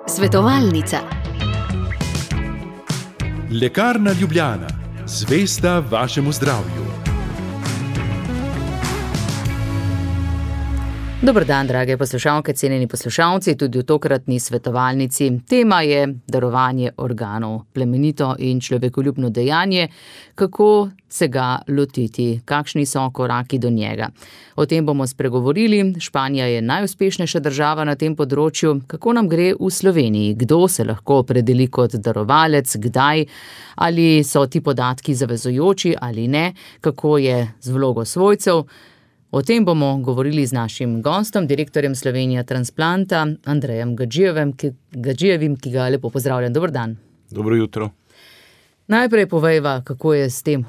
Svetovalnica. Lekarna Ljubljana, zvesta vašemu zdravju. Dober dan, drage poslušalke, cenjeni poslušalci, tudi v tokratni svetovalnici. Tema je darovanje organov, plemenito in človekoljubno dejanje, kako se ga lotiti, kakšni so koraki do njega. O tem bomo spregovorili. Španija je najuspešnejša država na tem področju. Kako nam gre v Sloveniji? Kdo se lahko opredeli kot darovalec, kdaj? Ali so ti podatki zavezujoči ali ne? Kako je z vlogo svojcev? O tem bomo govorili z našim gostom, direktorjem Slovenija Transplanta, Andrejem Gadžijevim, ki ga lepo pozdravljam. Dober dan. Dobro jutro. Najprej povejva, kako je s tem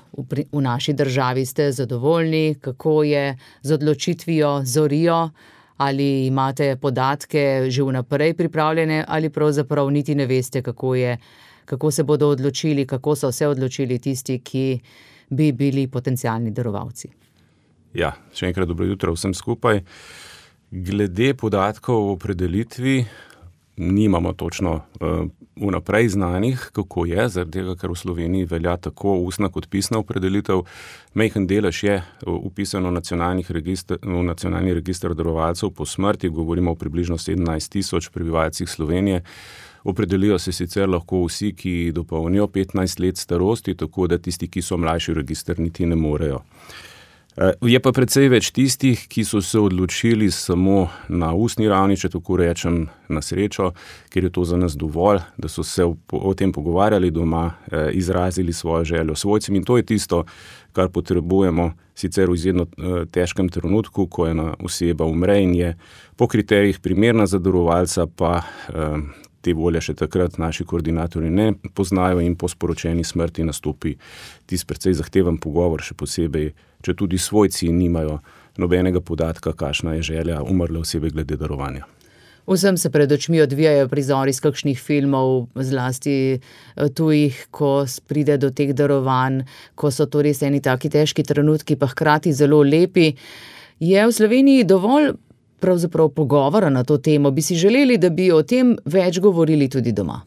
v naši državi. Ste zadovoljni, kako je z odločitvijo Zorijo, ali imate podatke že vnaprej pripravljene, ali pravzaprav niti ne veste, kako se bodo odločili, kako so se odločili tisti, ki bi bili potencialni darovalci. Ja, še enkrat dobro jutro vsem skupaj. Glede podatkov o opredelitvi nimamo točno vnaprej znanih, kako je, zaradi tega, ker v Sloveniji velja tako ustna kot pisna opredelitev. Majhen delež je vpisano v nacionalni register darovalcev po smrti, govorimo o približno 17 tisoč prebivalcih Slovenije. Opredelijo se sicer lahko vsi, ki dopolnijo 15 let starosti, tako da tisti, ki so mlajši v register, niti ne morejo. Je pa precej več tistih, ki so se odločili samo na ustni ravni, če tako rečem, na srečo, ker je to za nas dovolj, da so se o tem pogovarjali doma, izrazili svojo željo svojcem, in to je tisto, kar potrebujemo sicer v izjemno težkem trenutku, ko ena oseba umre in je po kriterijih primerna za darovalca, pa te volje še takrat naši koordinatorji ne poznajo in po sporočeni smrti nastopi tisti precej zahteven pogovor, še posebej, če tudi svojci nimajo nobenega podatka, kakšna je želja umrle osebe glede darovanja. Vsem se pred očmi odvijajo prizori iz kakšnih filmov, zlasti tujih, ko pride do teh darovanj, ko so to res eni taki težki trenutki, pa hkrati zelo lepi. Je v Sloveniji dovolj pravzaprav pogovora na to temo? Bi si želeli, da bi o tem več govorili tudi doma?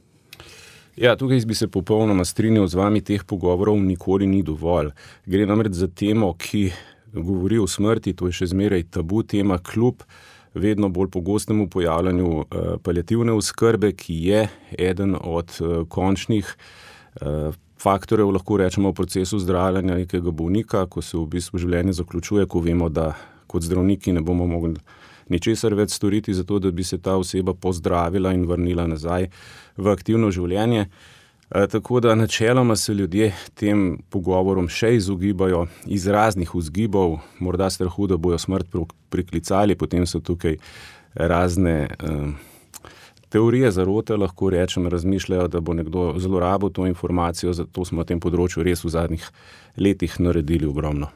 Ja, tukaj bi se popolnoma strinjal z vami, teh pogovorov nikoli ni dovolj. Gre namreč za temo, ki govori o smrti, to je še zmeraj tabu tema, kljub vedno bolj pogostemu pojavljanju paliativne oskrbe, ki je eden od končnih faktorjev, lahko rečemo, v procesu zdravljenja nekega bolnika, ko se v bistvu življenje zaključuje, ko vemo, da kot zdravniki ne bomo mogli ničesar več storiti za to, da bi se ta oseba pozdravila in vrnila nazaj v aktivno življenje. Tako da načeloma se ljudje tem pogovorom še izogibajo iz raznih vzgibov, morda strahu, da bojo smrt priklicali, potem so tukaj razne teorije zarote, lahko rečem, razmišljajo, da bo nekdo zlorabil to informacijo, zato smo na tem področju res v zadnjih letih naredili ogromno.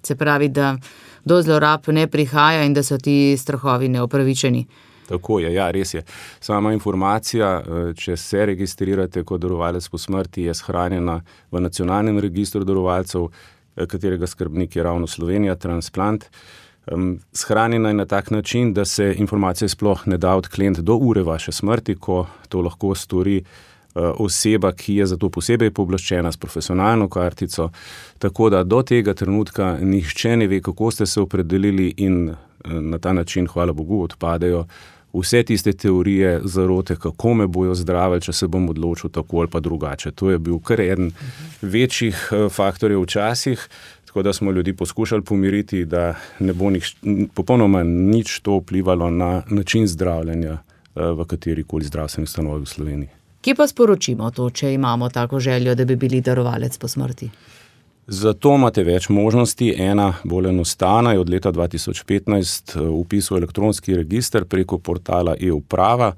Se pravi, da do zlorab ne prihaja in da so ti strahovi neopravičeni. Tako je, ja, res je. Sama informacija, če se registrirate kot darovalec po smrti, je shranjena v nacionalnem registru darovalcev, katerega skrbnik je ravno Slovenija Transplant. Shranjena je na tak način, da se informacija sploh ne da odkleniti do ure vaše smrti, ko to lahko stori oseba, ki je za to posebej pooblaščena s profesionalno kartico, tako da do tega trenutka nihče ne ve, kako ste se opredelili, in na ta način, hvala Bogu, odpadejo vse tiste teorije zarote, kako me bojo zdravili, če se bom odločil tako ali pa drugače. To je bil kar eden večjih faktorjev včasih, tako da smo ljudi poskušali pomiriti, da ne bo popolnoma nič to vplivalo na način zdravljenja v katerikoli zdravstveni ustanovi v Sloveniji. Kje pa sporočimo to, če imamo tako željo, da bi bili darovalec po smrti? Zato imate več možnosti. Ena bolj enostavna je od leta 2015 vpis v elektronski register preko portala e-uprava.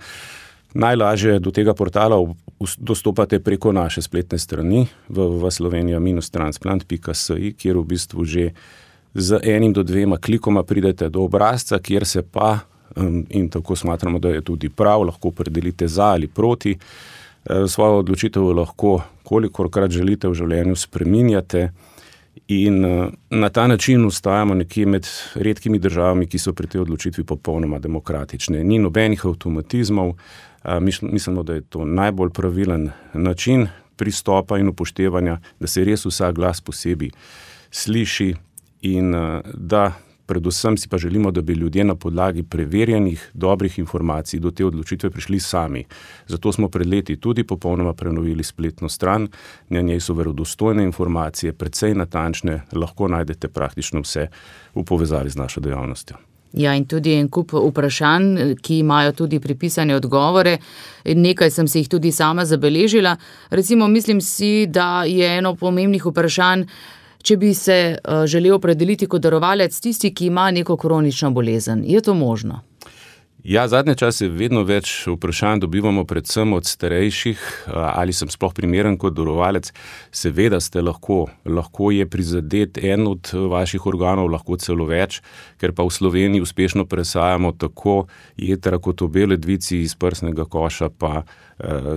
Najlažje do tega portala dostopate preko naše spletne strani www.slovenija-transplant.si, kjer v bistvu že z 1 do 2 klikoma pridete do obrazca, kjer se pa, in tako smatramo, da je tudi prav, lahko opredelite za ali proti. Svojo odločitev lahko, kolikorkrat želite v življenju, spreminjate In na ta način ostajamo nekje med redkimi državami, ki so pri tej odločitvi popolnoma demokratične. Ni nobenih avtomatizmov, mislimo, da je to najbolj pravilen način pristopa in upoštevanja, da se res vsak glas posebej sliši in da predvsem si pa želimo, da bi ljudje na podlagi preverjenih, dobrih informacij do te odločitve prišli sami. Zato smo pred leti tudi popolnoma prenovili spletno stran, na njej so verodostojne informacije, precej natančne, lahko najdete praktično vse v povezavi z našo dejavnostjo. Ja, in tudi en kup vprašanj, ki imajo tudi pripisane odgovore. Nekaj sem si jih tudi sama zabeležila. Recimo, mislim si, da je eno pomembnih vprašanj, če bi se želel opredeliti kot darovalec tisti, ki ima neko kronično bolezen. Je to možno? Ja, zadnje čase vedno več vprašanj dobivamo predvsem od starejših, ali sem sploh primeren kot darovalec. Seveda ste lahko je prizadet en od vaših organov, lahko celo več, ker pa v Sloveniji uspešno presajamo tako jetra kot obe ledvici iz prsnega koša, pa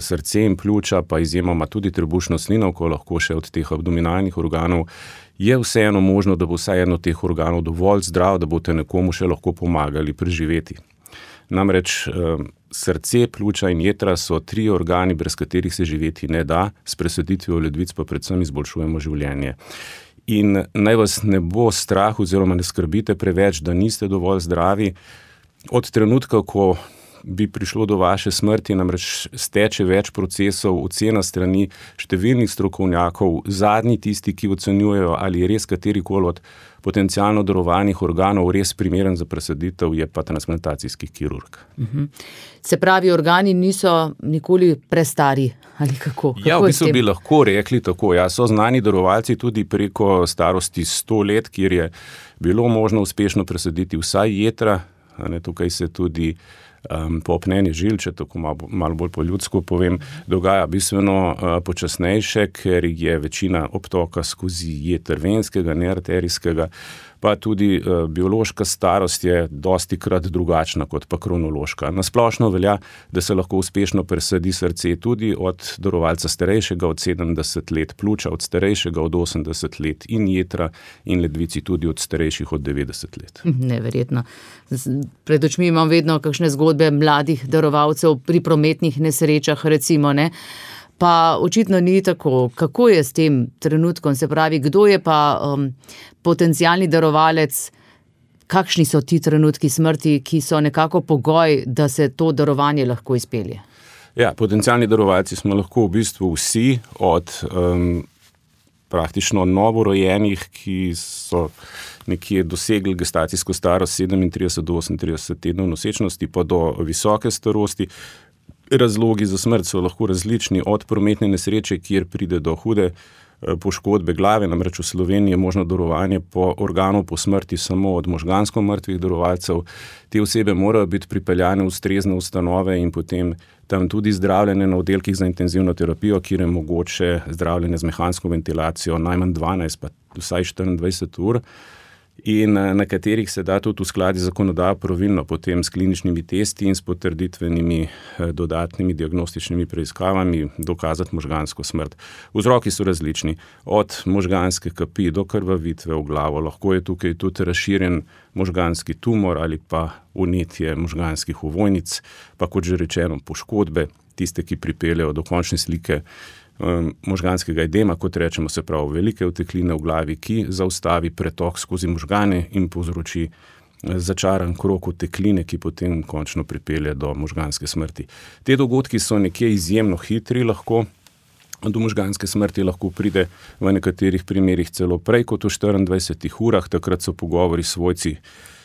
srce in pljuča, pa izjemoma tudi trebušno slinavko, lahko še od teh abdominalnih organov. Je vseeno možno, da bo vsaj eno teh organov dovolj zdrav, da boste nekomu še lahko pomagali preživeti. Namreč srce, pljuča in jetra so 3 organi, brez katerih se živeti ne da, s presaditvijo ledvic pa predvsem izboljšujemo življenje. In naj vas ne bo strah oziroma ne skrbite preveč, da niste dovolj zdravi. Od trenutka, ko bi prišlo do vaše smrti, namreč steče več procesov, ocena strani številnih strokovnjakov, zadnji tisti, ki ocenjujejo, ali je res katerikoli od potencialno darovanih organov res primeren za presaditev, je pa transplantacijski kirurg. Se pravi, organi niso nikoli prestari, ali kako? Ja, v bistvu bi lahko rekli tako. Ja, so znani darovalci tudi preko starosti 100 let, kjer je bilo možno uspešno presaditi vsaj jetra. Tukaj se tudi popnenje žil, če tako malo bolj po ljudsko povem, dogaja bistveno počasnejše, ker je večina obtoka skozi jeter venskega, ne arterijskega, pa tudi biološka starost je dostikrat drugačna kot pa kronološka. Na splošno velja, da se lahko uspešno presadi srce tudi od darovalca starejšega od 70 let, pljuča od starejšega od 80 let in jetra in ledvici tudi od starejših od 90 let. Neverjetno. Pred očmi imam vedno kakšne zgodbe mladih darovalcev pri prometnih nesrečah, recimo, ne? Pa očitno ni tako. Kako je s tem trenutkom? Se pravi, kdo je pa potencialni darovalec? Kakšni so ti trenutki smrti, ki so nekako pogoj, da se to darovanje lahko izpelje? Ja, potencialni darovalci smo lahko v bistvu vsi, od praktično novorojenih, ki so nekje dosegli gestacijsko starost 37 do 38 tednov nosečnosti, pa do visoke starosti. Razlogi za smrt so lahko različni, od prometne nesreče, kjer pride do hude poškodbe glave, namreč v Sloveniji je možno darovanje organov po smrti samo od možgansko mrtvih darovalcev. Te osebe morajo biti pripeljane v ustrezne ustanove in potem tam tudi zdravljene na oddelkih za intenzivno terapijo, kjer je mogoče zdravljenje z mehansko ventilacijo najmanj 12, pa vsaj 24 ur. In na katerih se da tudi v skladi zakonodajo pravilno potem s kliničnimi testi in s potrditvenimi dodatnimi diagnostičnimi preiskavami dokazati možgansko smrt. Vzroki so različni, od možganske kapi do krvavitve v glavo, lahko je tukaj tudi razširjen možganski tumor ali pa vnetje možganskih ovojnic, pa kot že rečeno poškodbe, tiste, ki pripeljejo do končne slike možganskega edema, kot rečemo, se pravi velike utekline v glavi, ki zaustavi pretok skozi možgane in povzroči začaran krog utekline, ki potem končno pripelje do možganske smrti. Te dogodki so nekje izjemno hitri, lahko do možganske smrti lahko pride v nekaterih primerih celo prej kot v 24 urah, takrat so pogovori s svojci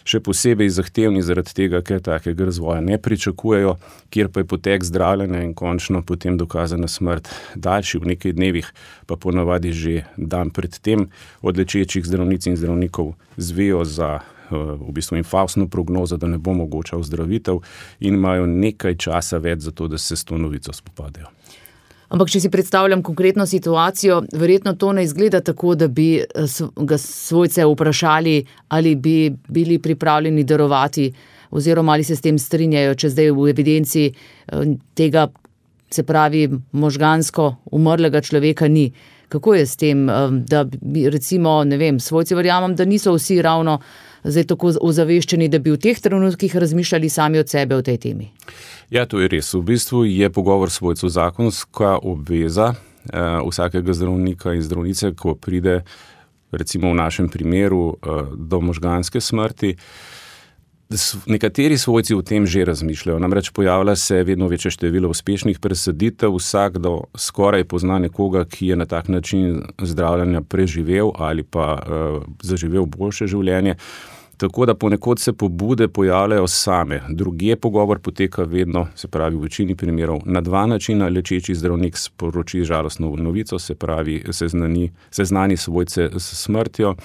še posebej zahtevni zaradi tega, ker takega razvoja ne pričakujejo, kjer pa je potek zdravljenja in končno potem dokazana smrt daljši v nekaj dnevih, pa ponavadi že dan pred tem od lečečih zdravnic in zdravnikov zvejo za v bistvu infaustno prognozo, da ne bo mogoča ozdravitev in imajo nekaj časa več za to, da se s to novico spopadajo. Ampak, če si predstavljam konkretno situacijo, verjetno to ne izgleda tako, da bi ga svojce vprašali, ali bi bili pripravljeni darovati, oziroma ali se s tem strinjajo, če zdaj v evidenci tega se pravi možgansko umrlega človeka ni. Kako je s tem, da recimo, ne vem, svojci verjamem, da niso vsi ravno zdaj tako ozaveščeni, da bi v teh trenutkih razmišljali sami od sebe o tej temi? Ja, to je res. V bistvu je pogovor svojcev zakonska obveza vsakega zdravnika in zdravnice, ko pride recimo v našem primeru do možganske smrti. Nekateri svojci o tem že razmišljajo, namreč pojavlja se vedno večje število uspešnih presaditev, vsakdo skoraj pozna nekoga, ki je na tak način zdravljenja preživel ali pa zaživel boljše življenje. Tako da ponekod se pobude pojavljajo same. Drugje pogovor poteka vedno, se pravi v večini primerov, na dva načina. Lečeči zdravnik sporoči žalostno novico, se pravi seznani svojce s smrtjo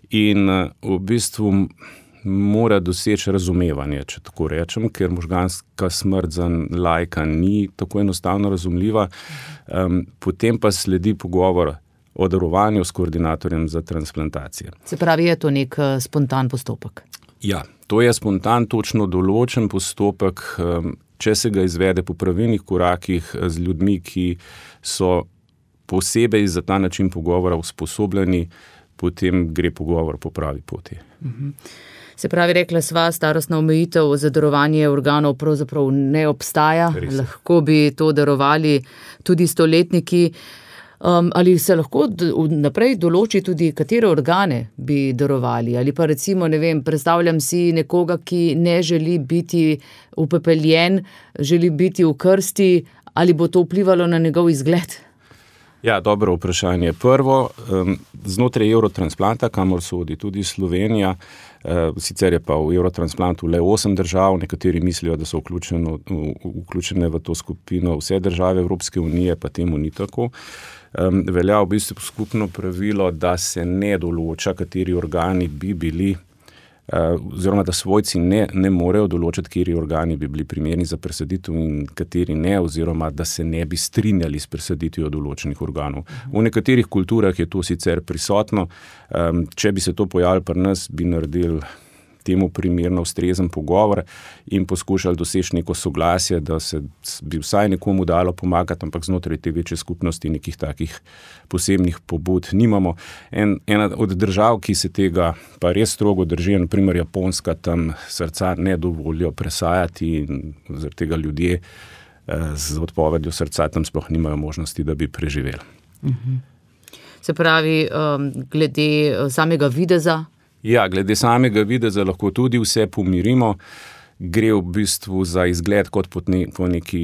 in v bistvu mora doseči razumevanje, če tako rečem, ker možganska smrt za laika ni tako enostavno razumljiva. Potem pa sledi pogovor o darovanju s koordinatorjem za transplantacije. Se pravi, je to nek spontan postopek? Ja, to je spontan, točno določen postopek, če se ga izvede po pravilnih korakih z ljudmi, ki so posebej za ta način pogovora usposobljeni, potem gre pogovor po pravi poti. Se pravi, rekla sva, starostna omejitev za darovanje organov pravzaprav ne obstaja. Lahko bi to darovali tudi stoletniki. Ali se lahko naprej določi tudi, katere organe bi darovali? Ali pa recimo, ne vem, predstavljam si nekoga, ki ne želi biti upepeljen, želi biti v krsti, ali bo to vplivalo na njegov izgled? Ja, dobro vprašanje. Prvo, znotraj Eurotransplanta, kamor sodi tudi Slovenija, sicer je pa v Eurotransplantu le 8 držav, nekateri mislijo, da so vključene v to skupino vse države Evropske unije, pa temu ni tako. Velja v bistvu skupno pravilo, da se ne določa, kateri organi bi bili, oziroma da svojci ne morejo določiti, kateri organi bi bili primerni za presaditev in kateri ne, oziroma da se ne bi strinjali s presaditvijo določenih organov. V nekaterih kulturah je to sicer prisotno. Če bi se to pojavilo pri nas, bi naredili temu primerno ustrezen pogovor in poskušali doseči neko soglasje, da se bi vsaj nekomu dalo pomagati, ampak znotraj te večje skupnosti nekih takih posebnih pobud nimamo. Ena od držav, ki se tega pa res strogo drži, na primer Japonska, tam srca ne dovolijo presajati in zaradi tega ljudje z odpovedjo srca tam sploh nimajo možnosti, da bi preživeli. Se pravi, glede samega videza? Ja, glede samega videza lahko tudi vse pomirimo. Gre v bistvu za izgled kot po neki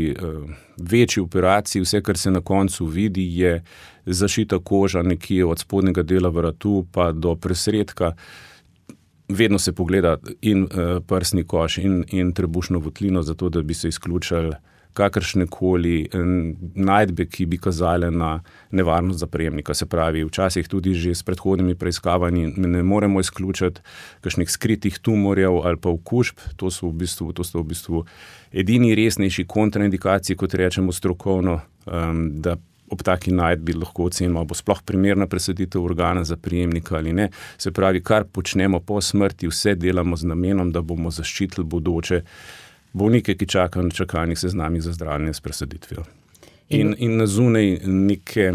večji operaciji. Vse, kar se na koncu vidi, je zašita koža nekje od spodnjega dela vratu pa do presredka. Vedno se pogleda in prsni koš in trebušno votlino, zato da bi se izključili kakršnekoli najdbe, ki bi kazale na nevarnost za prejemnika. Se pravi, včasih tudi že s predhodnimi preiskavanji ne moremo izključiti kakšnih skritih tumorjev ali pa okužb. To so v bistvu edini resnejši kontraindikaciji, kot rečemo strokovno, da ob taki najdbi lahko ocenimo, bo sploh primerna presaditev organa za prejemnika ali ne. Se pravi, kar počnemo po smrti, vse delamo z namenom, da bomo zaščitili bodoče bolnike, ki čakajo na čakalnih seznamih za zdravljenje s presaditvijo. In na zunaj neke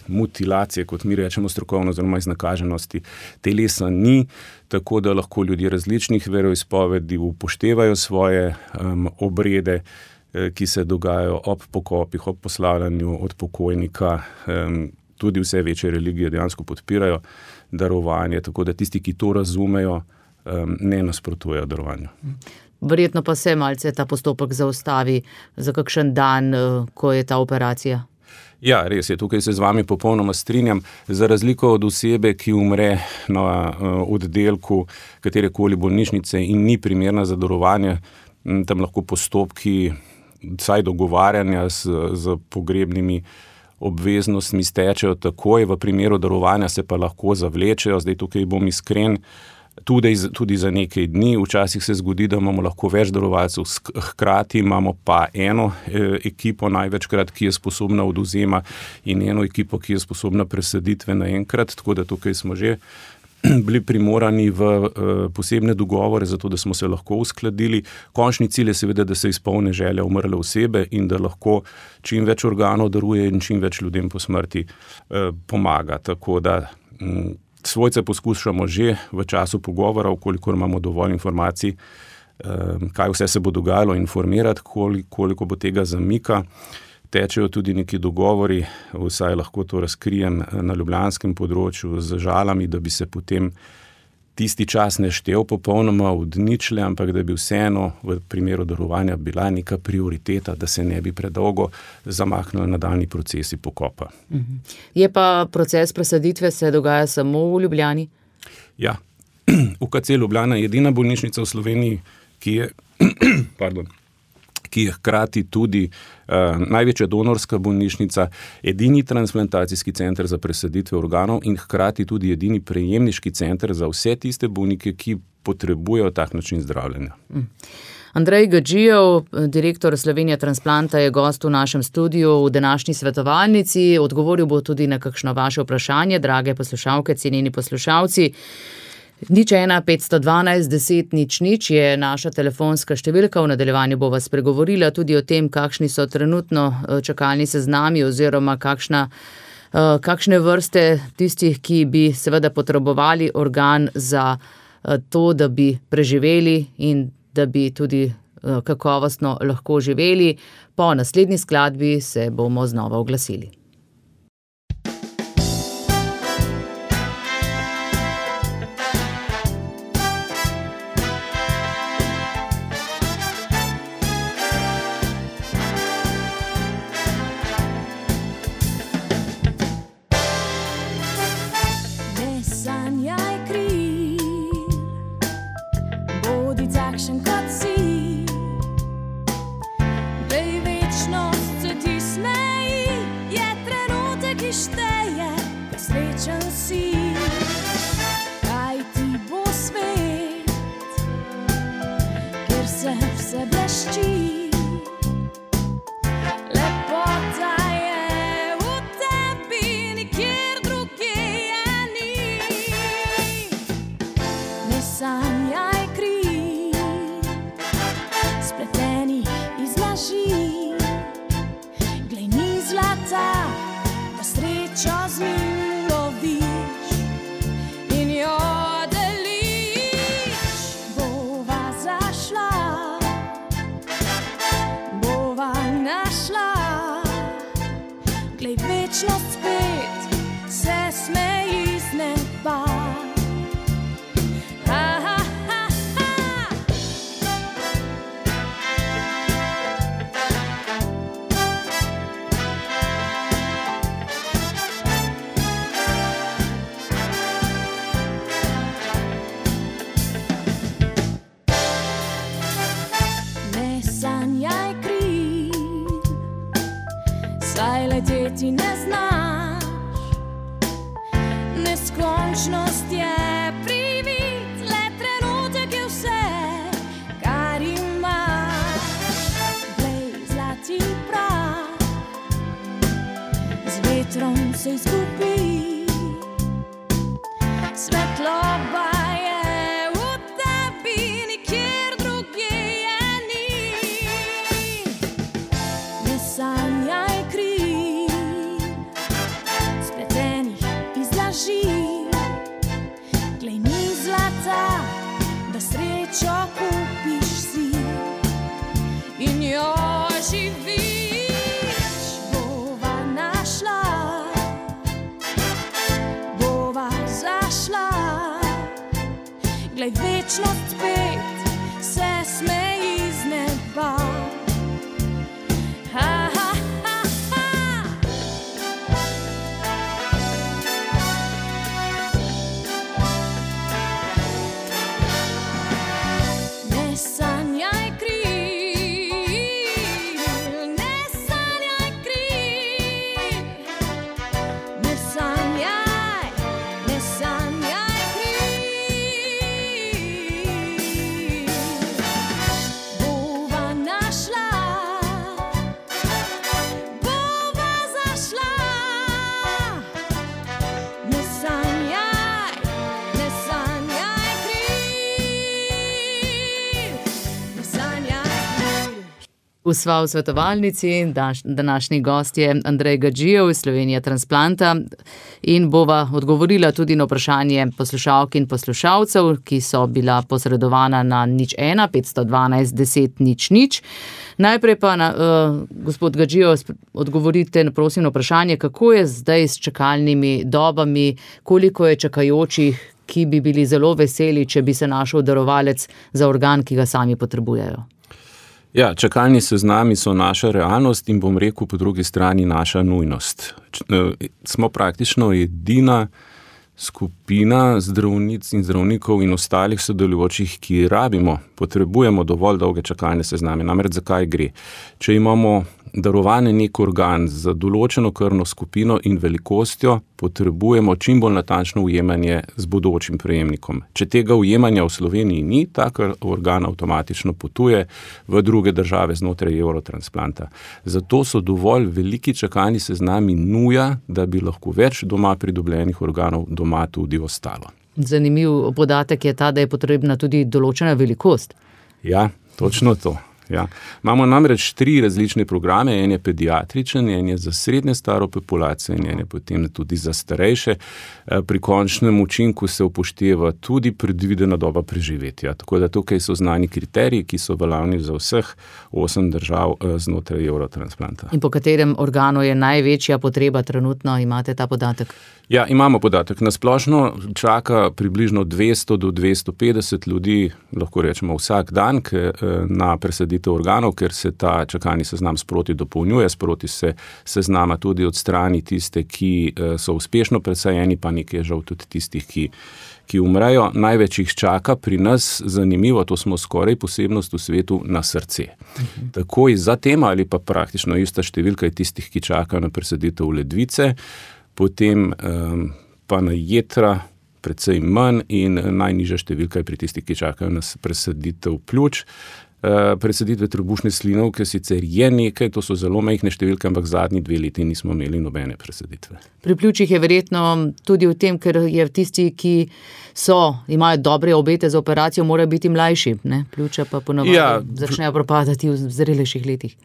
mutilacije, kot mi rečemo strokovno, oziroma iznakaženosti telesa ni, tako da lahko ljudje različnih veroizpovedi upoštevajo svoje obrede, ki se dogajajo ob pokopih, ob poslavljanju od pokojnika. Tudi vse večje religije dejansko podpirajo darovanje, tako da tisti, ki to razumejo, ne nasprotujejo darovanju. Verjetno pa se malce ta postopek zaustavi za kakšen dan, ko je ta operacija. Ja, res je, tukaj se z vami popolnoma strinjam. Za razliko od osebe, ki umre na oddelku katerekoli bolnišnice in ni primerna za darovanje, tam lahko postopki vsaj dogovarjanja z pogrebnimi obveznostmi stečejo takoj, v primeru darovanja se pa lahko zavlečejo. Zdaj tukaj bom iskren, tudi za nekaj dni. Včasih se zgodi, da imamo lahko več darovalcev, hkrati imamo pa eno ekipo največkrat, ki je sposobna odvzema in eno ekipo, ki je sposobna presaditve naenkrat, tako da tukaj smo že bili primorani v posebne dogovore, zato da smo se lahko uskladili. Končni cilj je seveda, da se izpolni želja umrle osebe in da lahko čim več organov daruje in čim več ljudem po smrti pomaga. Tako da svojce poskušamo že v času pogovora, koliko imamo dovolj informacij, kaj vse se bo dogajalo, informirati, koliko bo tega zamika. Tečejo tudi neki dogovori, vsaj lahko to razkrijem na ljubljanskem področju z Žalami, da bi se potem tisti čas ne štel popolnoma od ničle, ampak da bi vseeno v primeru darovanja bila neka prioriteta, da se ne bi predolgo zamaknili nadaljnji procesi pokopa. Je pa proces presaditve se dogaja samo v Ljubljani? Ja, UKC Ljubljana je edina bolnišnica v Sloveniji, ki je hkrati tudi največja donorska bolnišnica, edini transplantacijski center za presaditve organov in hkrati tudi edini prejemniški center za vse tiste bolnike, ki potrebujejo tak način zdravljenja. Andrej Gadžijev, direktor Slovenija Transplanta, je gost v našem studiu v današnji svetovalnici. Odgovoril bo tudi na kakšno vaše vprašanje, drage poslušalke, cenjeni poslušalci. 01 512 10 00 je naša telefonska številka. V nadaljevanju bova spregovorila tudi o tem, kakšni so trenutno čakalni seznami oziroma kakšne vrste tistih, ki bi seveda potrebovali organ za to, da bi preživeli in da bi tudi kakovostno lahko živeli. Po naslednji skladbi se bomo znova oglasili. Sva v svetovalnici, današnji gost je Andrej Gadžijev iz Slovenija Transplanta in bova odgovorila tudi na vprašanje poslušalk in poslušalcev, ki so bila posredovana na 01 512 10 00. Najprej pa, gospod Gadžijev, odgovorite, prosim, na vprašanje, kako je zdaj s čakalnimi dobami, koliko je čakajočih, ki bi bili zelo veseli, če bi se našel darovalec za organ, ki ga sami potrebujejo. Ja, čakalni seznami so naša realnost in bom rekel po drugi strani naša nujnost. Smo praktično edina skupina zdravnic in zdravnikov in ostalih sodelujočih, ki potrebujemo dovolj dolge čakalne sezname. Namreč zakaj gre? Če imamo darovane nek organ za določeno krvno skupino in velikostjo, potrebujemo čim bolj natančno ujemanje z bodočim prejemnikom. Če tega ujemanja v Sloveniji ni, tak organ avtomatično potuje v druge države znotraj Eurotransplanta. Zato so dovolj veliki čakalni seznami nuja, da bi lahko več doma pridobljenih organov doma tudi ostalo. Zanimiv podatek je ta, da je potrebna tudi določena velikost. Ja, točno to. Ja. Imamo namreč 3 različne programe, en je pediatričen, en je za srednje staro populacijo in en je potem tudi za starejše. Pri končnem učinku se upošteva tudi predvidena doba preživetja. Tako da tukaj so znani kriteriji, ki so veljavni za vseh 8 držav znotraj Eurotransplanta. In po katerem organu je največja potreba trenutno, imate ta podatek? Ja, imamo podatek. Na splošno čaka približno 200 do 250 ljudi, lahko rečemo vsak dan, na presaditev organov, ker se ta čakalni seznam sproti dopolnjuje, sproti se seznama tudi odstrani tiste, ki so uspešno presajeni, pa nekaj žal tudi tistih, ki umrejo. Največ jih čaka pri nas, zanimivo, to smo skoraj posebnost v svetu, na srce. Takoj za tem ali pa praktično ista številka je tistih, ki čakajo na presaditev ledvice, potem pa na jetra precej manj in najnižja številka je pri tistih, ki čakajo na presaditev pljuč. Presaditve trebušne slinavke sicer je nekaj, to so zelo majhne številke, ampak zadnji 2 leti nismo imeli nobene presaditve. Pri pljučih je verjetno tudi v tem, ker je tisti, ki imajo dobre obete za operacijo, morajo biti mlajši, ne? Pljuča pa ponavadi začnejo propadati v zrelejših letih.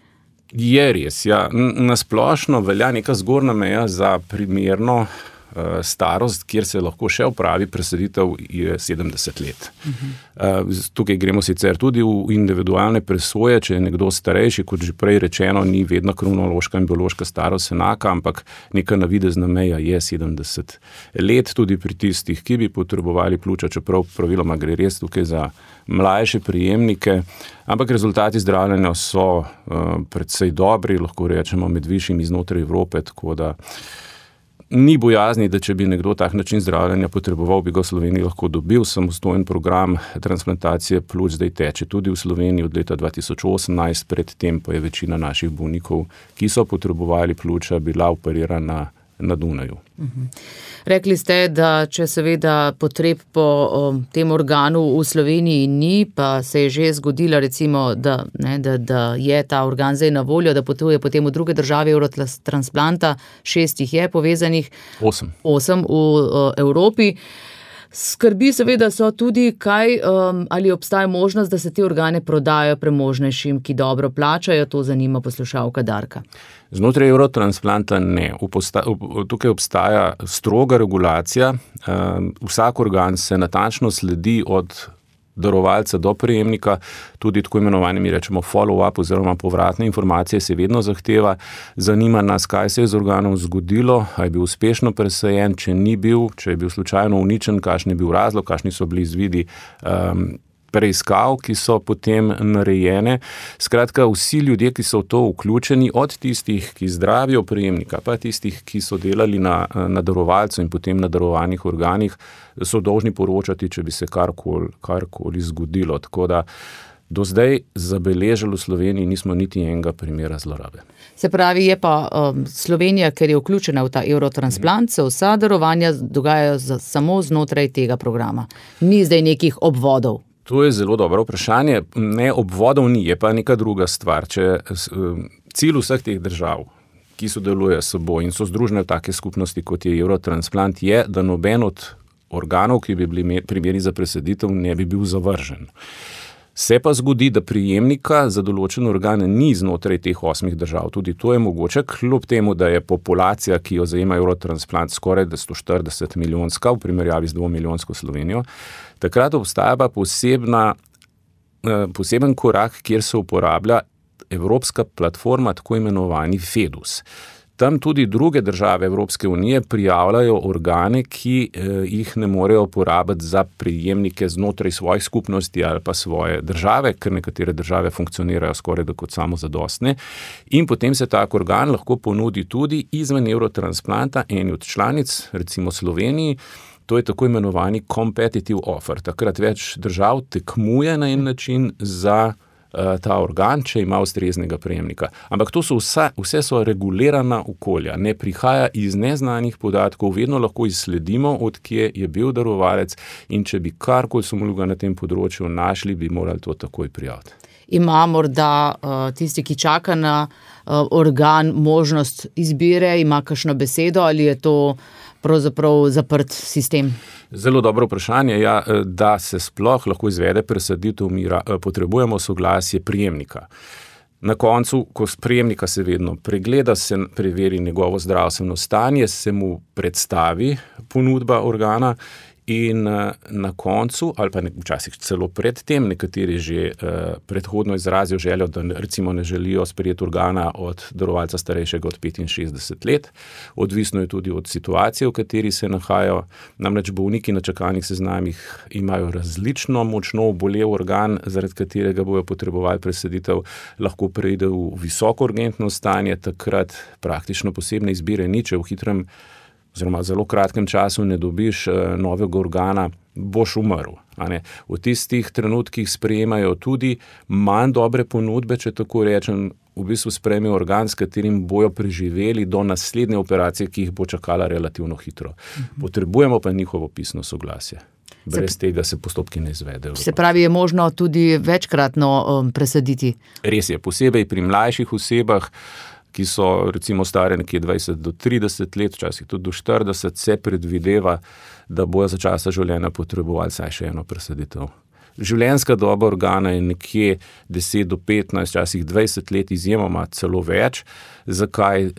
Je res, ja. Na splošno velja neka zgornja meja za primerno starost, kjer se lahko še opravi presaditev, je 70 let. Tukaj gremo sicer tudi v individualne presoje, če je nekdo starejši, kot že prej rečeno, ni vedno kronološka in biološka starost enaka, ampak neka navidezna meja je 70 let, tudi pri tistih, ki bi potrebovali pljuča, čeprav praviloma gre res tukaj za mlajše prejemnike, ampak rezultati zdravljenja so precej dobri, lahko rečemo med višjimi znotraj Evrope, tako da ni bojazni, da če bi nekdo tak način zdravljenja potreboval, bi ga v Sloveniji lahko dobil. Samostojen program transplantacije pljuč zdaj teče tudi v Sloveniji od leta 2018, predtem pa je večina naših bolnikov, ki so potrebovali pljuča, bila operirana na Dunaju. Rekli ste, da če seveda potreb po tem organu v Sloveniji ni, pa se je že zgodila recimo, da je ta organ zdaj na voljo, da potuje potem v druge države Eurotransplanta, 6 jih je povezanih, 8 v Evropi. Skrbi seveda so tudi, ali obstaja možnost, da se te organe prodajo premožnejšim, ki dobro plačajo, to zanima poslušalka Darka. Znotraj Eurotransplanta ne. Tukaj obstaja stroga regulacija. Vsak organ se natančno sledi od darovalca do prejemnika, tudi tako imenovani, mi rečemo follow-up oziroma povratne informacije se vedno zahteva. Zanima nas, kaj se je z organom zgodilo, ali je bil uspešno presajen, če ni bil, če je bil slučajno uničen, kakšen je bil razlog, kakšni so bili izvidi preiskav, ki so potem narejene. Skratka, vsi ljudje, ki so v to vključeni, od tistih, ki zdravijo prejemnika, pa tistih, ki so delali na darovalcu in potem na darovanih organih, so dolžni poročati, če bi se karkoli zgodilo. Tako da do zdaj zabeležili v Sloveniji nismo niti enega primera zlorabe. Se pravi, je pa Slovenija, ker je vključena v ta Eurotransplant, se vsa darovanja dogajajo samo znotraj tega programa. Ni zdaj nekih obvodov. To je zelo dobro vprašanje. Ne, obvodov ni, je pa neka druga stvar. Cilj vseh teh držav, ki sodelujejo s seboj in so združene v take skupnosti, kot je Eurotransplant, je, da noben od organov, ki bi bili primerni za presaditev, ne bi bil zavržen. Se pa zgodi, da prijemnika za določen organ ni znotraj teh 8 držav. Tudi to je mogoče, kljub temu, da je populacija, ki jo zajema Eurotransplant, skoraj 140 milijonska v primerjavi z 2 milijonsko Slovenijo. Takrat obstaja pa poseben korak, kjer se uporablja evropska platforma, tako imenovani FEDUS. Tam tudi druge države Evropske unije prijavljajo organe, ki jih ne morejo uporabiti za prijemnike znotraj svojih skupnosti ali pa svoje države, ker nekatere države funkcionirajo skoraj da kot samozadostne. In potem se tak organ lahko ponudi tudi izven Eurotransplanta eni od članic, recimo Sloveniji. To je tako imenovani competitive offer. Takrat več držav tekmuje na en način za ta organ, če ima ustreznega prejemnika. Ampak to so vse so regulirana okolja, ne prihaja iz neznanih podatkov, vedno lahko izsledimo, od kje je bil darovalec, in če bi karkoli sumljivega na tem področju našli, bi morali to takoj prijaviti. Ima morda tisti, ki čaka na organ, možnost izbire, ima kakšno besedo ali je to pravzaprav zaprt sistem? Zelo dobro vprašanje. Ja, da se sploh lahko izvede presaditev, potrebujemo soglasje prijemnika. Na koncu, ko prijemnika se vedno pregleda, se preveri njegovo zdravstveno stanje, se mu predstavi ponudba organa in na koncu, ali pa včasih celo pred tem, nekateri že predhodno izrazijo željo, da recimo ne želijo sprejeti organa od darovalca starejšega od 65 let. Odvisno je tudi od situacije, v kateri se nahajajo. Namreč bolniki na čakalnih seznamih imajo različno močno obolel organ, zaradi katerega bojo potrebovali presaditev, lahko preide v visoko urgentno stanje, takrat praktično posebne izbire ni, če v hitrem oziroma zelo kratkem času ne dobiš novega organa, boš umrl. V tistih trenutkih sprejemajo tudi manj dobre ponudbe, če tako rečem, v bistvu sprejmejo organ, s katerim bojo preživeli do naslednje operacije, ki jih bo čakala relativno hitro. Potrebujemo pa njihovo pisno soglasje. Brez tega se postopki ne izvedejo. Se pravi, je možno tudi večkratno presaditi? Res je, posebej pri mlajših osebah, ki so recimo stare nekje 20 do 30 let, včasih tudi do 40, se predvideva, da bojo za časa življenja potrebovali vsaj še eno presaditev. Življenjska doba organa je nekje 10 do 15, včasih 20 let, izjemoma celo več. Zakaj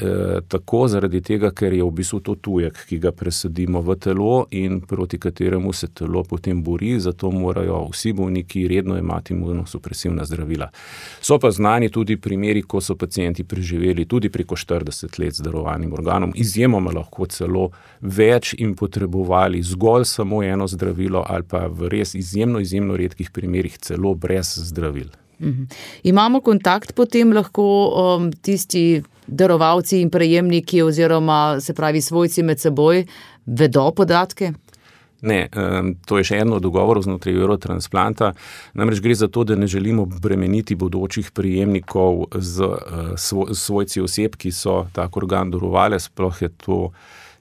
tako? Zaradi tega, ker je v bistvu to tujek, ki ga presadimo v telo in proti kateremu se telo potem bori, zato morajo vsi bolniki redno imati imunosupresivna zdravila. So pa znani tudi primeri, ko so pacienti preživeli tudi preko 40 let z darovanim organom, izjemoma lahko celo več in potrebovali zgolj samo eno zdravilo ali pa v res izjemno redkih primerih celo brez zdravil. Imamo kontakt potem lahko tisti darovalci in prejemniki oziroma se pravi svojci med seboj vedo podatke? Ne, to je še eno od dogovorov znotraj Eurotransplanta. Namreč gre za to, da ne želimo bremeniti bodočih prejemnikov z svojci oseb, ki so tak organ darovali, sploh je to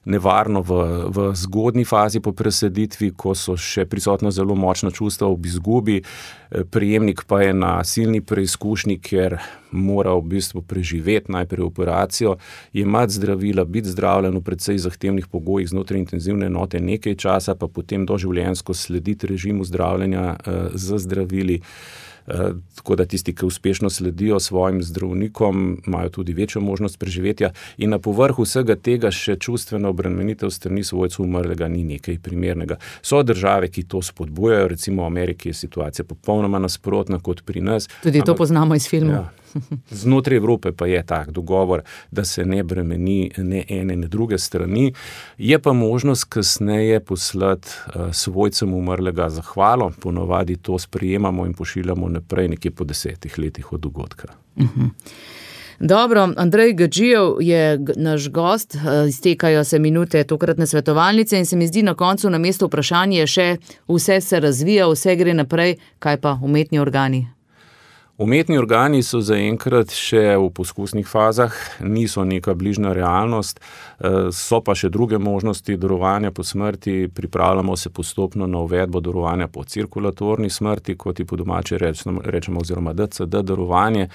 nevarno v zgodnji fazi po presaditvi, ko so še prisotna zelo močna čustva ob izgubi. Prejemnik pa je na silni preizkušnji, ker mora v bistvu preživeti najprej operacijo, jemati zdravila, biti zdravljen v precej zahtevnih pogojih znotraj intenzivne enote nekaj časa, pa potem doživljenjsko slediti režimu zdravljenja z zdravili. Tako da tisti, ki uspešno sledijo svojim zdravnikom, imajo tudi večjo možnost preživetja in na povrhu vsega tega še čustvena obremenitev strani svojcev umrlega ni nekaj primernega. So države, ki to spodbujajo, recimo v Ameriki je situacija popolnoma nasprotna kot pri nas. Tudi to poznamo iz filmov. Ja. Znotraj Evrope pa je tak dogovor, da se ne bremeni ne ene, ne druge strani. Je pa možnost kasneje poslati svojcem umrlega zahvalo, ponavadi to sprejemamo in pošiljamo naprej nekje po 10 letih od dogodka. Dobro, Andrej Gadžijev je naš gost, iztekajo se minute tokratne svetovalnice in se mi zdi na koncu na mesto vprašanje še, vse se razvija, vse gre naprej, kaj pa umetni organi? Umetni organi so zaenkrat še v poskusnih fazah, niso neka bližnja realnost, so pa še druge možnosti darovanja po smrti, pripravljamo se postopno na uvedbo darovanja po cirkulatorni smrti, kot ji po domače rečemo, oziroma DCD darovanje.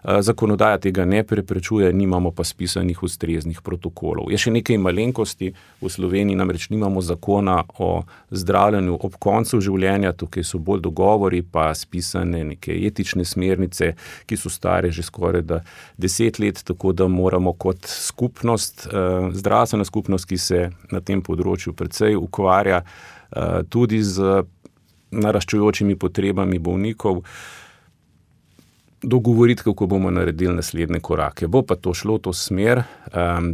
Zakonodaja tega ne preprečuje, nimamo pa spisanih ustreznih protokolov. Je še nekaj malenkosti, v Sloveniji namreč nimamo zakona o zdravljenju ob koncu življenja, tukaj so bolj dogovori, pa spisane neke etične smernice, ki so stare že skoraj 10 let, tako da moramo kot skupnost, zdravstvena skupnost, ki se na tem področju precej ukvarja, tudi z naraščajočimi potrebami bolnikov, dogovoriti, kako bomo naredili naslednje korake. Bo pa to šlo v to smer,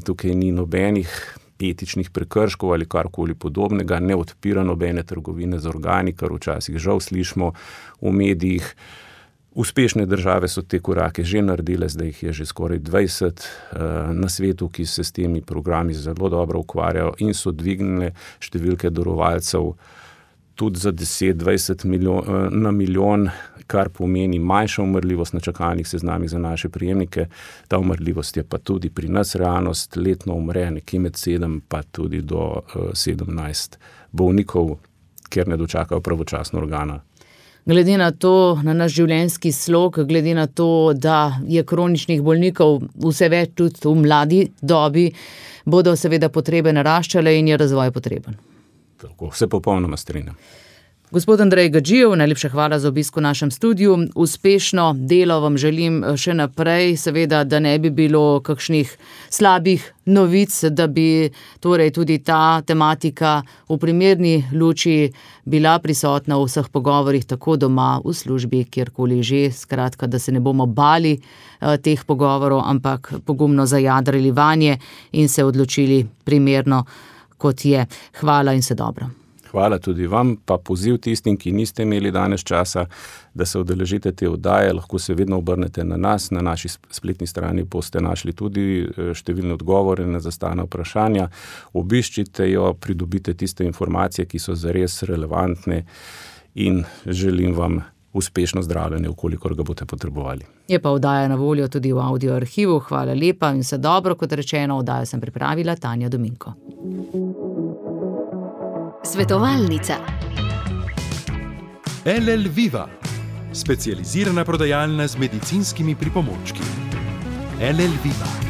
tukaj ni nobenih etičnih prekrškov ali karkoli podobnega, ne odpira nobene trgovine z organi, kar včasih žal slišimo v medijih. Uspešne države so te korake že naredile, zdaj jih je že skoraj 20 na svetu, ki se s temi programi zelo dobro ukvarjajo in so dvignile številke darovalcev tudi za 10-20 na milijon, kar pomeni manjša umrljivost na čakalnih seznamih za naše prejemnike. Ta umrljivost je pa tudi pri nas realnost, letno umre nekje med 7 pa tudi do 17 bolnikov, ker ne dočakajo pravočasno organa. Glede na to, na naš življenjski slog, glede na to, da je kroničnih bolnikov vse več tudi v mladi dobi, bodo seveda potrebe naraščale in je razvoj potreben. Tako, vse popolnoma strinjam. Gospod Andrej Gadžijev, najlepša hvala za obisk v našem studiu. Uspešno delo vam želim še naprej, seveda, da ne bi bilo kakšnih slabih novic, da bi torej tudi ta tematika v primerni luči bila prisotna v vseh pogovorih, tako doma, v službi, kjerkoli že, skratka, da se ne bomo bali teh pogovorov, ampak pogumno zajadrali vanje in se odločili primerno, kot je. Hvala in se dobro. Hvala tudi vam, pa poziv tistim, ki niste imeli danes časa, da se udeležite te oddaje, lahko se vedno obrnete na nas, na naši spletni strani boste našli tudi številne odgovore na zastavljena vprašanja. Obiščite jo, pridobite tiste informacije, ki so zares relevantne in želim vam uspešno zdravljenje, vkolikor ga boste potrebovali. Je pa oddaja na voljo tudi v audio arhivu. Hvala lepa in se dobro, kot rečeno, oddajo sem pripravila Tanja Dominko. Svetovalnica. LL Viva, specializirana prodajalna z medicinskimi pripomočki. LL Viva.